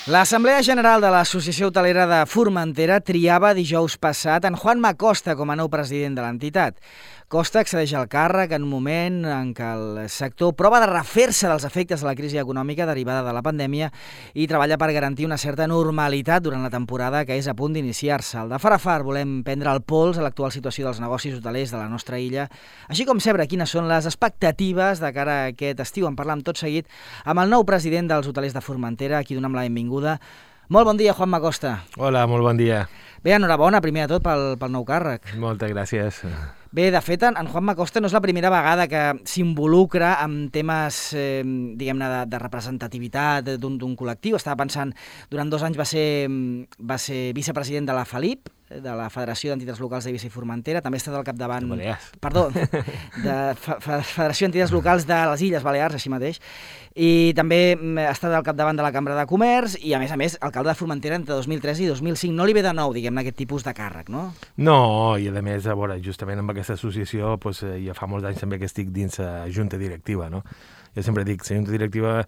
L'Assemblea General de l'Associació Hotelera de Formentera triava dijous passat en Juanma Costa com a nou president de l'entitat. Costa accedeix al càrrec en un moment en què el sector prova de refer-se dels efectes de la crisi econòmica derivada de la pandèmia i treballa per garantir una certa normalitat durant la temporada que és a punt d'iniciar-se. Al de far a far volem prendre el pols a l'actual situació dels negocis hotelers de la nostra illa, així com saber quines són les expectatives de cara a aquest estiu. En parlam tot seguit amb el nou president dels hotelers de Formentera, a qui donem la benvinguda. Molt bon dia, Juanma Costa. Hola, molt bon dia. Bé, enhorabona, primer de tot, pel nou càrrec. Moltes gràcies. Bé, de fet, en Juanma Costa no és la primera vegada que s'involucra en temes, diguem-ne, de representativitat d'un col·lectiu. Estava pensant, durant 2 anys va ser vicepresident de la FELIP, de la Federació d'Entitats Locals d'Eivissa i Formentera, també ha estat al capdavant... Perdó, de Federació d'Entitats Locals de les Illes Balears, així mateix, i també ha estat al capdavant de la Cambra de Comerç i, a més, alcalde de Formentera entre 2003 i 2005. No li ve de nou, diguem-ne, aquest tipus de càrrec, no? No, i a més, a veure, justament amb aquesta associació, doncs, ja fa molts anys també que estic dins la junta directiva, no? Jo sempre dic, la junta directiva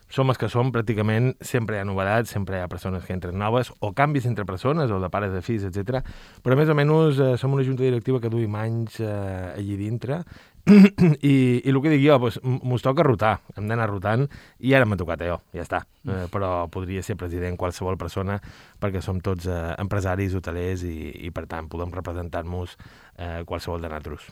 som els que som, pràcticament sempre hi ha novetats, sempre hi ha persones que entren noves, o canvis entre persones, o de pares de fills, etc. Però més o menys som una junta directiva que duim anys allí dintre, i el que dic jo, doncs, mos toca rotar, hem d'anar rotant, i ara m'ha tocat jo, ja està. Però podria ser president qualsevol persona, perquè som tots empresaris, hotelers, i per tant podem representar-nos qualsevol de nosaltres.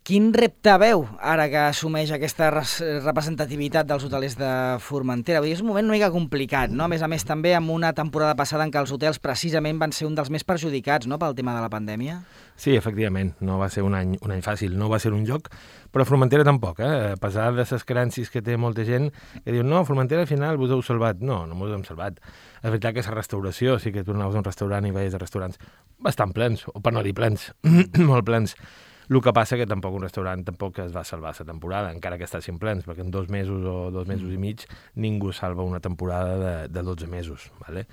Quin repte veu ara que assumeix aquesta representativitat dels hotelers de Formentera? Vull dir, és un moment una mica complicat, no? A més, també amb una temporada passada en què els hotels precisament van ser un dels més perjudicats, no?, pel tema de la pandèmia. Sí, efectivament, no va ser un any fàcil, no va ser un joc, però Formentera tampoc, a pesar de les creences que té molta gent que diu, no, Formentera al final vos heu salvat. No vos hem salvat. És veritat que la restauració, sí que tu anaves a un restaurant i veies restaurants bastant plens, o per no dir plens, molt plens. El que passa que tampoc un restaurant tampoc es va salvar la temporada, encara que estiguessin plens, perquè en 2 mesos o 2 mesos i mig ningú salva una temporada de 12 mesos. ¿Vale?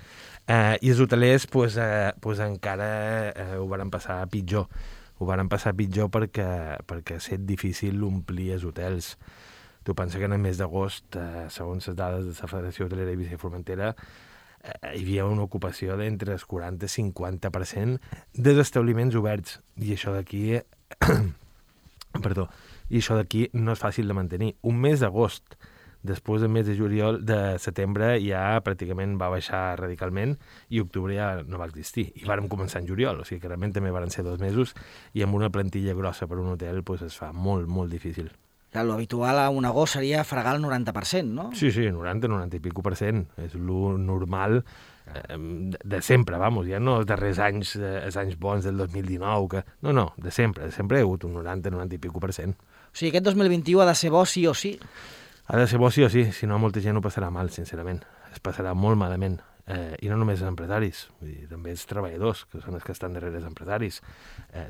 I els hotelers pues encara ho van passar pitjor. Ho van passar pitjor perquè ha estat difícil omplir els hotels. Tu pensa que en el mes d'agost, segons les dades de la Federació Hotelera d'Eivissa i Formentera, hi havia una ocupació d'entre el 40 i 50% dels establiments oberts. I això d'aquí no és fàcil de mantenir. Un mes d'agost, després del mes de juliol, de setembre ja pràcticament va baixar radicalment i octubre ja no va existir. I vàrem començar en juliol, o sigui que realment també van ser 2 mesos i amb una plantilla grossa per un hotel pues, es fa molt, molt difícil. Lo habitual a un agost seria fregar el 90%, no? Sí, 90 i pico %. És lo normal de sempre, vamos, ja no els darrers anys, els anys bons del 2019, que... No, de sempre hi ha hagut un 90 i pico %. O sigui, aquest 2021 ha de ser bo sí o sí? Ha de ser bo sí o sí, si no molta gent ho passarà mal, sincerament. Es passarà molt malament. I no només els empresaris, vull dir, també els treballadors, que són els que estan darrere els empresaris.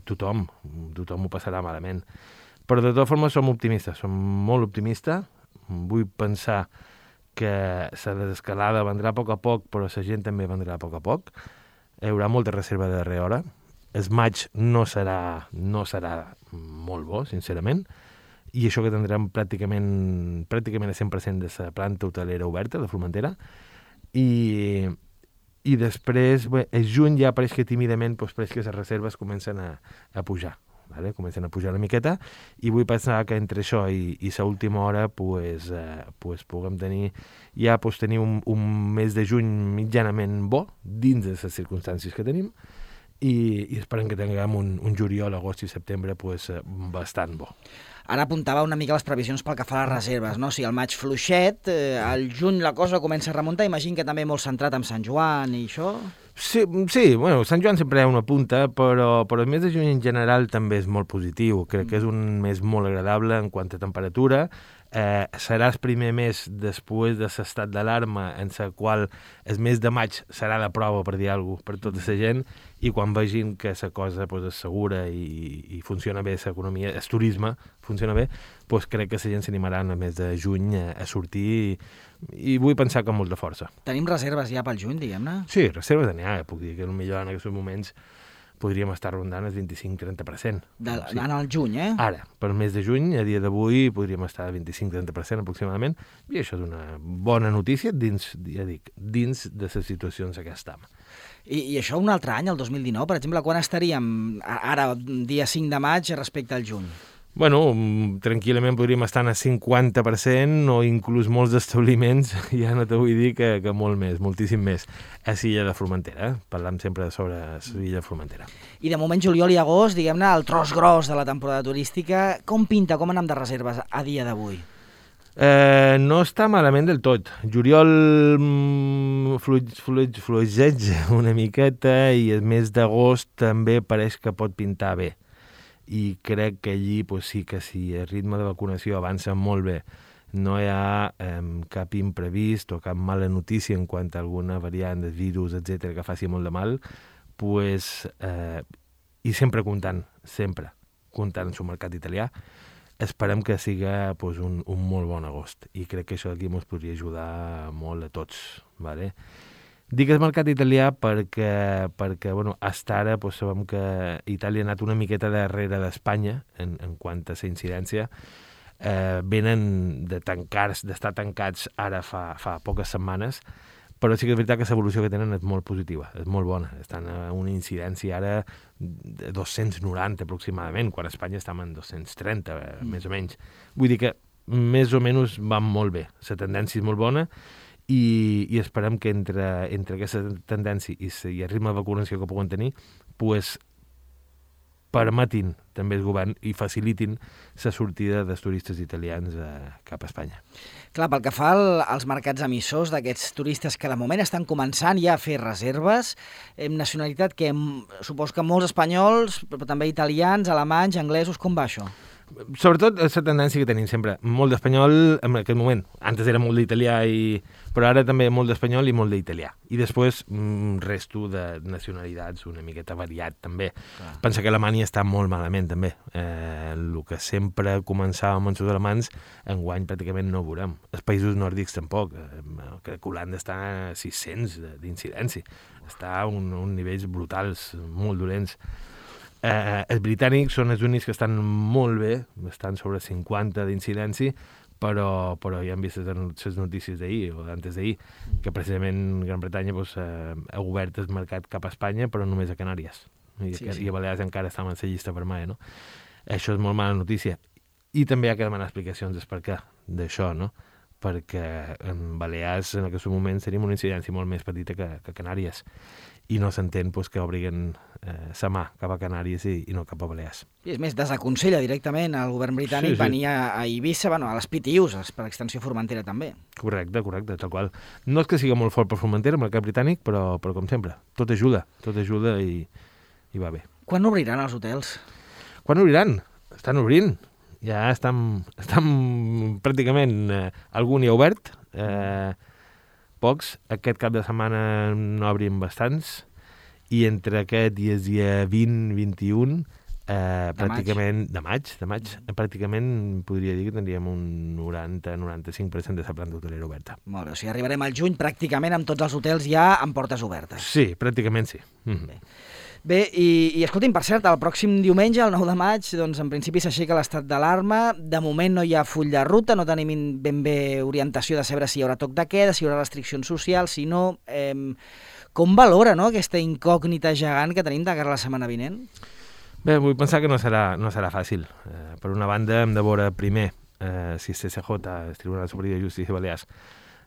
Tothom ho passarà malament. Però de totes formes som optimistes, som molt optimistes. Vull pensar que la desescalada vendrà a poc, però la gent també vendrà a poc. Hi haurà molta reserva de darrera hora. El maig no serà molt bo, sincerament, i això que tindrem pràcticament el 100% de la planta hotelera oberta de Formentera, i després, el juny ja pareix que tímidament pareix que les reserves comencen a pujar. Vale? Comencen a pujar una miqueta i vull pensar que entre això i l'última hora puguem tenir un mes de juny mitjanament bo dins de les circumstàncies que tenim i esperem que tinguem un juliol, agost i setembre bastant bo. Ara apuntava una mica les previsions pel que fa a les reserves, no? O sigui, el maig fluixet, al juny la cosa comença a remuntar, imagino que també molt centrat en Sant Joan i això... Sí, bueno, Sant Joan sempre hi ha una punta, però el mes de juny en general també és molt positiu. Crec que és un mes molt agradable en quant a temperatura. Serà el primer mes després de l'estat d'alarma en el qual el mes de maig serà de prova, per dir alguna cosa, per tota la gent, i quan vegin que la cosa és segura i funciona bé l'economia, el turisme funciona bé, crec que la gent s'animarà en el mes de juny a sortir i vull pensar que amb molta força. Tenim reserves ja pel juny, diguem-ne? Sí, reserves n'hi ha. Puc dir que potser en aquests moments podríem estar rondant el 25-30%. En el juny, Ara, per mes de juny, a dia d'avui, podríem estar al 25-30% aproximadament, i això és una bona notícia dins de les situacions en què estem. I això un altre any, el 2019, per exemple, quan estaríem ara, dia 5 de maig, respecte al juny? Bueno, tranquil·lament podríem estar al 50% o inclús molts establiments, ja no te vull dir que molt més, moltíssim més. A l'illa de Formentera, parlam sempre sobre l'illa de Formentera. I de moment, juliol i agost, diguem-ne, el tros gros de la temporada turística, com pinta, com anem de reserves a dia d'avui? No està malament del tot. Juliol fluixeja una miqueta i el mes d'agost també pareix que pot pintar bé. I crec que allí sí que si el ritme de vacunació avança molt bé, no hi ha cap imprevist o cap mala notícia en quant a alguna variant del virus, etc que faci molt de mal, i sempre comptant en el mercat italià, esperem que siga un molt bon agost. I crec que això aquí ens podria ajudar molt a tots. Vale? Dic el mercat italià perquè hasta ara sabem que Itàlia ha anat una miqueta darrere d'Espanya en quant a la incidència. Venen d'estar tancats ara fa poques setmanes, però sí que és veritat que l'evolució que tenen és molt positiva, és molt bona. Estan a una incidència ara de 290 aproximadament, quan a Espanya estem en 230, més o menys. Vull dir que més o menys van molt bé. La tendència és molt bona, i esperem que entre aquesta tendència i el ritme de vacunació que puguen tenir, permetin també el govern i facilitin la sortida dels turistes italians cap a Espanya. Clar, pel que fa als mercats emissors d'aquests turistes que de moment estan començant ja a fer reserves, nacionalitat que supos que molts espanyols, però també italians, alemanys, anglesos, com va això? Sobretot la tendència que tenim sempre, molt d'espanyol en aquest moment, antes era molt d'italià, però ara també molt d'espanyol i molt d'italià. I després resto de nacionalitats una miqueta variat també. Clar. Pensa que Alemanya està molt malament també. El que sempre començàvem amb els alemans, enguany pràcticament no ho veurem. Els països nòrdics tampoc. Crec que Holanda està a 600 d'incidència. Està a uns nivells brutals, molt dolents. Els britànics són els únics que estan molt bé, estan sobre 50 d'incidència, però ja hem vist les notícies d'ahir o d'antes d'ahir, que precisament Gran Bretanya ha obert el mercat cap a Espanya, però només a Canàries. I a Balears encara estan en la llista vermella, no? Això és molt mala notícia. I també hi ha que demanar explicacions del per què d'això, no? Perquè en Balears en aquest moment seria una incidència molt més petita que Canàries, i no s'entén que obriguen sa mà cap a Canàries i no cap a Balears. I és més, desaconsella directament al govern britànic venir a Eivissa, a les PTUs, per extensió Formentera també. Correcte, tal qual. No és que sigui molt fort per Formentera, el mercat britànic, però com sempre, tot ajuda i va bé. Quan obriran els hotels? Quan obriran? Estan obrint. Ja estan pràcticament, algun hi ha obert, pocs. Aquest cap de setmana n'obrim bastants, i entre aquest i el dia 20-21, pràcticament de maig, pràcticament podria dir que tindríem un 90-95% de la planta hotelera oberta. Molt bé, o sigui, arribarem al juny pràcticament amb tots els hotels ja amb portes obertes. Sí, pràcticament sí. Bé, i escolti'm, per cert, el pròxim diumenge, el 9 de maig, doncs en principi s'aixeca l'estat d'alarma. De moment no hi ha full de ruta, no tenim ben bé orientació de saber si hi haurà toc de queda, si hi haurà restriccions socials, si no... Com valora, no?, aquesta incògnita gegant que tenim de cara a la setmana vinent? Bé, vull pensar que no serà fàcil. Per una banda, hem de veure primer si el CCJ, el Tribunal Superior de Justícia de Balears,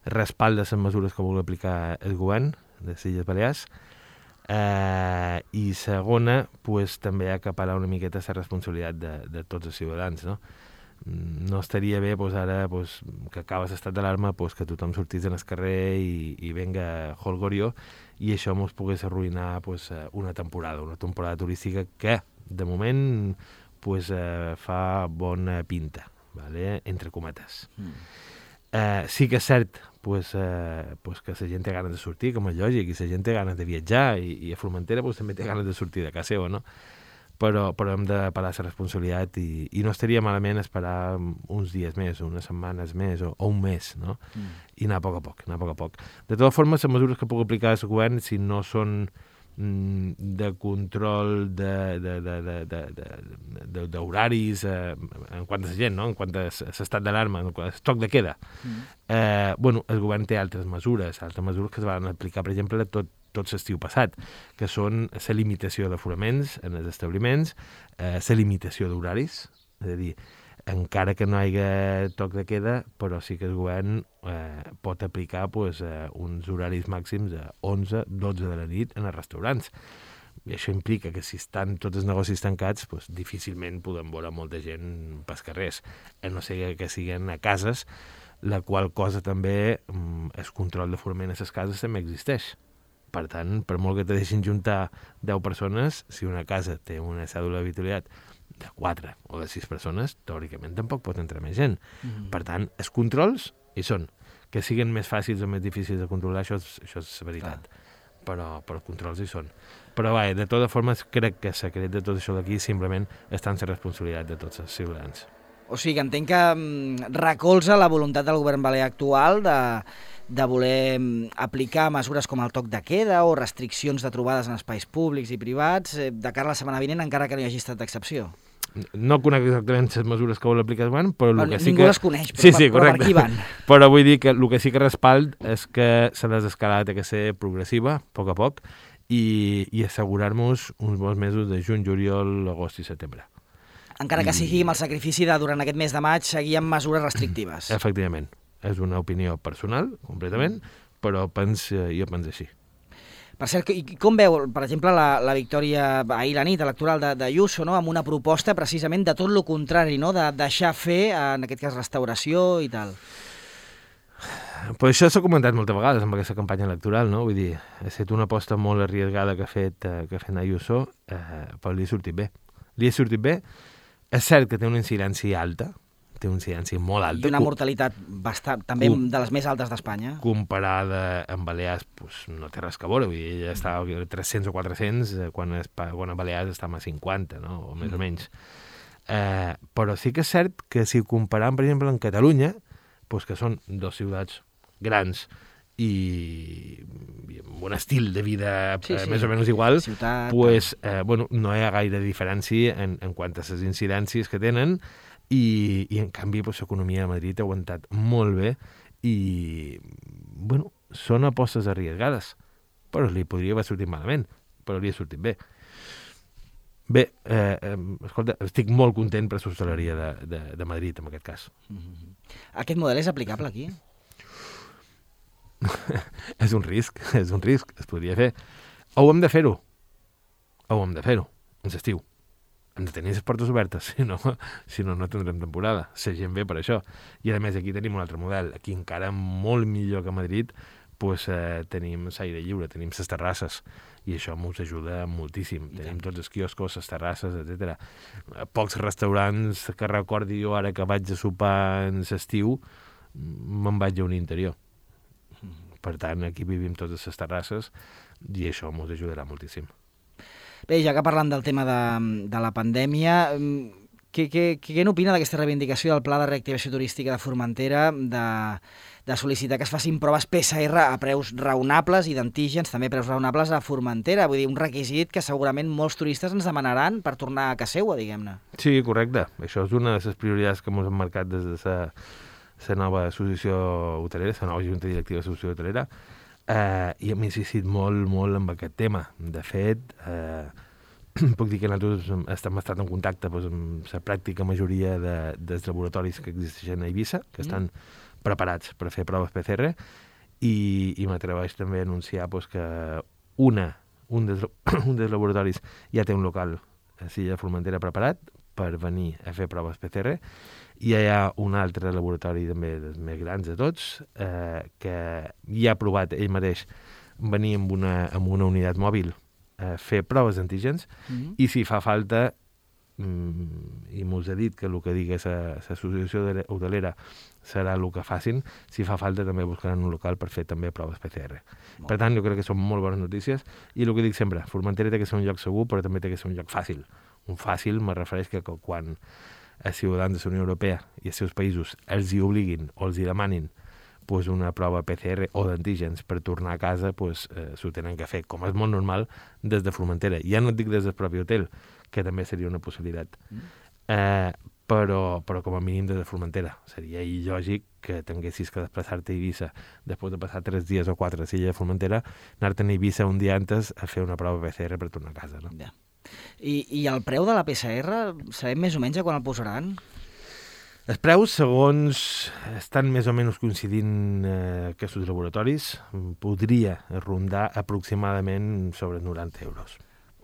respalda les mesures que vol aplicar el govern de les Illes Balears, i segona, també acaparar una miqueta la responsabilitat de tots els ciutadans, no? No estaria bé ara que acaba l'estat d'alarma que tothom sortís en el carrer i venga holgorio, i això ens pogués arruïnar una temporada turística que de moment fa bona pinta, ¿vale? Entre cometes. Sí que és cert que la gent té ganes de sortir, com és lògic, i la gent té ganes de viatjar, i a Formentera també té ganes de sortir de casa seva, no? Però hem de parar la responsabilitat i no estaria malament esperar uns dies més, unes setmanes més o un mes, no? I anar a poc a poc. De totes formes, les mesures que puc aplicar el govern, si no són de control d'horaris en quant a la gent, no? En quant a l'estat d'alarma, en quant a toc de queda. El govern té altres mesures que es van aplicar, per exemple, tot l'estiu passat, que són la limitació d'aforaments en els establiments, la limitació d'horaris, és a dir, encara que no hi hagi toc de queda, però sí que el govern pot aplicar uns horaris màxims de 11-12 de la nit en els restaurants. I això implica que si estan tots els negocis tancats, difícilment podem veure molta gent pels carrers, a no ser que siguin a cases, la qual cosa també, el control d'aforament a les cases també existeix. Per tant, per molt que te deixin juntar 10 persones, si una casa té una cèdula d'habitualitat de 4 o de 6 persones, teòricament tampoc pot entrar més gent. Per tant, els controls hi són. Que siguin més fàcils o més difícils de controlar, això és veritat. Però els controls hi són. Però de totes formes, crec que el secret de tot això d'aquí simplement està en la responsabilitat de tots els ciutadans. O sigui, entenc que recolza la voluntat del govern balear actual de voler aplicar mesures com el toc de queda o restriccions de trobades en espais públics i privats de cara a la setmana vinent, encara que no hi hagi estat d'excepció. No conec exactament les mesures que vol aplicar el govern, però el que sí que... Ningú les coneix, però per aquí van. Però vull dir que el que sí que respald és que la desescalada té que ser progressiva, a poc, i assegurar-nos uns bons mesos de juny, juliol, agost i setembre. Encara que sigui amb el sacrifici de, durant aquest mes de maig, seguir amb mesures restrictives. Efectivament. És una opinió personal, completament, però jo penso així. Per cert, com veu, per exemple, la victòria ahir la nit electoral d'Ayuso, no? Amb una proposta precisament de tot el contrari, no? De deixar fer, en aquest cas, restauració i tal. Però això s'ha comentat moltes vegades amb aquesta campanya electoral, no? Vull dir, ha estat una aposta molt arriesgada que ha fet Ayuso, però li ha sortit bé. És cert que té una incidència alta, té una incidència molt alta. I una mortalitat també de les més altes d'Espanya. Comparada amb Balears, no té res que veure. Vull dir, ella estava a 300 o 400, quan a Balears estava a 50, no? O més o menys. Però sí que és cert que si comparem, per exemple, amb Catalunya, que són dues ciutats grans i amb un estil de vida més o menys igual, no hi ha gaire diferència en quant a les incidències que tenen i en canvi l'economia de Madrid ha aguantat molt bé i són apostes arriesgades, però li podria haver sortit malament, però li ha sortit bé. Bé, escolta, estic molt content per l'hostaleria de Madrid, en aquest cas. Aquest model és aplicable aquí? És un risc, es podria fer. Ho hem de fer-ho, en l'estiu. Hem de tenir les portes obertes, si no tindrem temporada. La gent ve per això. I a més aquí tenim un altre model. Aquí encara molt millor que a Madrid tenim l'aire lliure, tenim les terrasses, i això ens ajuda moltíssim. Tenim tots els quioscos, les terrasses, etc. Pocs restaurants que recordi jo ara que vaig a sopar en l'estiu, me'n vaig a un interior. Per tant, aquí vivim totes les terrasses i això ens ajudarà moltíssim. Bé, ja que parlant del tema de la pandèmia, què n'opina d'aquesta reivindicació del Pla de Reactivació Turística de Formentera de sol·licitar que es facin proves PCR a preus raonables i d'antígens també a preus raonables a Formentera? Vull dir, un requisit que segurament molts turistes ens demanaran per tornar a casa seva, diguem-ne. Sí, correcte. Això és una de les prioritats que ens hem marcat des de la nova associació hotelera, la nova junta directiva de l'associació hotelera, i hem insistit molt, molt en aquest tema. De fet, puc dir que nosaltres hem estat en contacte amb la pràctica majoria dels laboratoris que existeixen a Eivissa, que estan preparats per fer proves PCR, i m'atreveix també a anunciar que un dels laboratoris ja té un local a Silla de Formentera preparat per venir a fer proves PCR, i hi ha un altre laboratori també dels més grans de tots que ja ha provat ell mateix venir amb una unitat mòbil a fer proves d'antígens, i si fa falta, i m'us ha dit que el que digui l'associació hotelera serà el que facin, si fa falta també buscaran un local per fer també proves PCR. Per tant, jo crec que són molt bones notícies, i el que dic sempre, Formentera té que ser un lloc segur, però també té que ser un lloc fàcil. Un fàcil me refereix que quan els ciutadans de la Unió Europea i els seus països els hi obliguin o els hi demanin pues, una prova PCR o d'antígens per tornar a casa, pues, s'ho tenen que fer, com és molt normal, des de Formentera. Ja no et dic des del propi hotel, que també seria una possibilitat. Però com a mínim des de Formentera. Seria il·lògic que tinguessis que desplaçar-te a Eivissa després de passar 3 dies o 4 a l'illa de Formentera, anar-te'n a Eivissa un dia antes a fer una prova PCR per tornar a casa. No? Ja. I el preu de la PCR, sabem més o menys a quan el posaran? Els preus, segons estan més o menys coincidint aquests laboratoris, podria rondar aproximadament sobre 90 euros.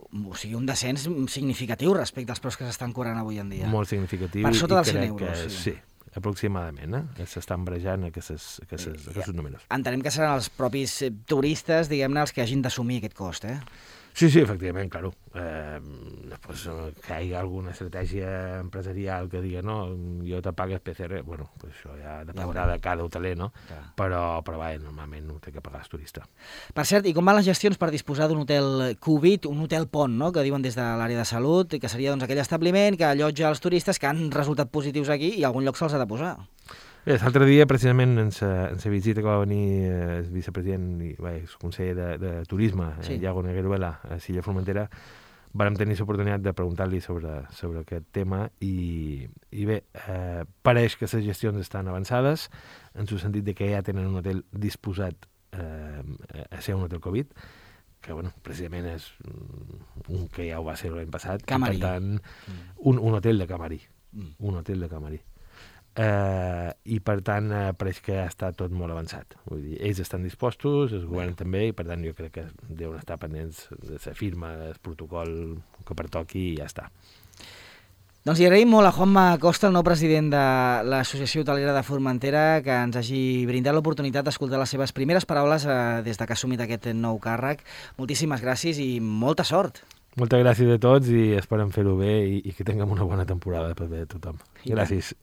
O sigui, un descens significatiu respecte als preus que s'estan cobrant avui en dia. Molt significatiu. Per sota dels 100 crec euros. Que, sí, aproximadament. S'estan barrejant aquests números. Entenem que seran els propis turistes, diguem-ne, els que hagin d'assumir aquest cost, Sí, efectivament, claro. Després que hi ha alguna estratègia empresarial que digui no, jo te pagues PCR, bueno, pues això ja dependrà de cada hoteler, no? Però normalment ho té que pagar el turista. Per cert, i com van les gestions per disposar d'un hotel Covid, un hotel pont, no?, que diuen des de l'àrea de salut, que seria doncs, aquell establiment que allotja els turistes que han resultat positius aquí i a algun lloc se'ls ha de posar. Bé, l'altre dia, precisament, en la visita que va venir el vicepresident i el conseller de Turisme, Iago Negueruela, a l'illa Formentera, vam tenir l'oportunitat de preguntar-li sobre aquest tema i bé, pareix que les gestions estan avançades, en el sentit de que ja tenen un hotel disposat a ser un hotel Covid, que, bueno, precisament és un que ja ho va ser l'any passat. Camarí. Per tant, un hotel de camarí. Un hotel de camarí. I per tant pareix que està tot molt avançat. Vull dir, ells estan dispostos, el govern també, i per tant jo crec que deuen estar pendents de la firma, del protocol que pertoqui i ja està. Doncs li agraïm molt a Juanma Costa, el nou president de l'Associació Hotelera de Formentera, que ens hagi brindat l'oportunitat d'escoltar les seves primeres paraules des de que ha assumit aquest nou càrrec. Moltíssimes gràcies i molta sort. Moltes gràcies a tots i esperem fer-ho bé i que tinguem una bona temporada per bé de tothom. Gràcies.